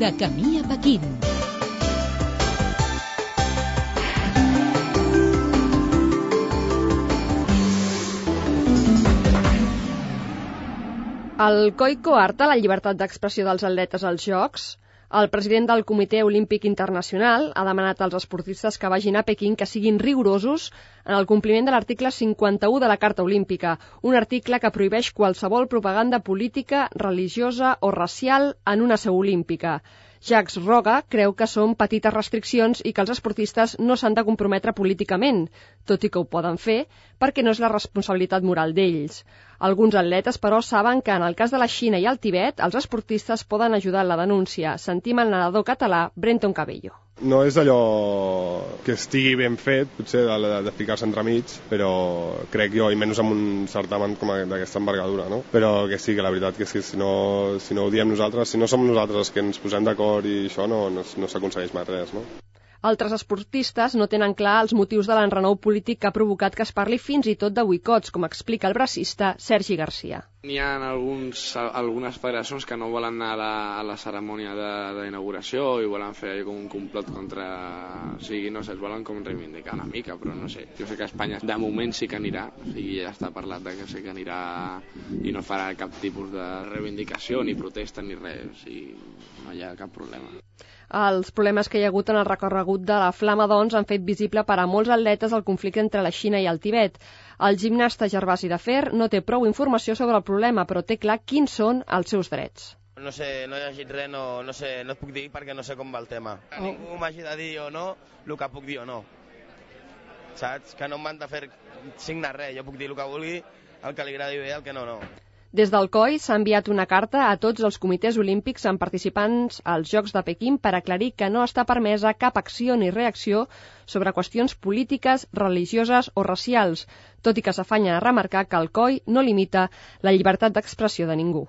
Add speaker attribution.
Speaker 1: De camí a Pequín.
Speaker 2: El COI coarta la llibertat d'expressió dels atletes als Jocs. El president del Comitè Olímpic Internacional ha demanat als esportistes que vagin a Pequín que siguin rigorosos en el compliment de l'article 51 de la Carta Olímpica, un article que prohibeix qualsevol propaganda política, religiosa o racial en una seu olímpica. Jacques Roga creu que són petites restriccions i que els esportistes no s'han de comprometre políticament, tot i que ho poden fer, perquè no és la responsabilitat moral d'ells. Alguns atletes, però, saben que en el cas de la Xina i el Tibet, els esportistes poden ajudar en la denúncia. Sentim el nedador català Brenton Cabello.
Speaker 3: No és allò que estigui ben fet, potser de ficar-se entremig, però crec jo, i menys amb un certamen com d'aquesta envergadura, no? Però que sí, que la veritat que és que si no ho diem nosaltres, si no som nosaltres els que ens posem d'acord i això, no s'aconsegueix mai res, no?
Speaker 2: Altres esportistes no tenen clar els motius de l'enrenou polític que ha provocat que es parli fins i tot de boicots, com explica el bracista Sergi Garcia.
Speaker 4: N'hi ha algunes federacions que no volen anar a la cerimònia d'inauguració i volen fer com un complot contra... O sigui, no sé, es volen com reivindicar una mica, però no sé. Jo sé que a Espanya de moment sí que anirà, o sigui, ja està parlat de que sí que anirà i no farà cap tipus de reivindicació, ni protesta, ni res, o sigui, no hi ha cap problema.
Speaker 2: Els problemes que hi ha hagut en el recorregut de la Flama, doncs, han fet visible per a molts atletes el conflicte entre la Xina i el Tibet. El gimnasta Gervasi de Fer no té prou informació sobre el problema, però té clar quins són els seus drets.
Speaker 5: No sé, no he llegit res, no sé, no et puc dir perquè no sé com va el tema. Que ningú m'hagi de dir o no el que puc dir o no. Saps? Que no m'han de fer signar res, jo puc dir el que vulgui, el que li agradi bé, el que no.
Speaker 2: Des del COI s'ha enviat una carta a tots els comitès olímpics amb participants als Jocs de Pequín per aclarir que no està permesa cap acció ni reacció sobre qüestions polítiques, religioses o racials, tot i que s'afanya a remarcar que el COI no limita la llibertat d'expressió de ningú.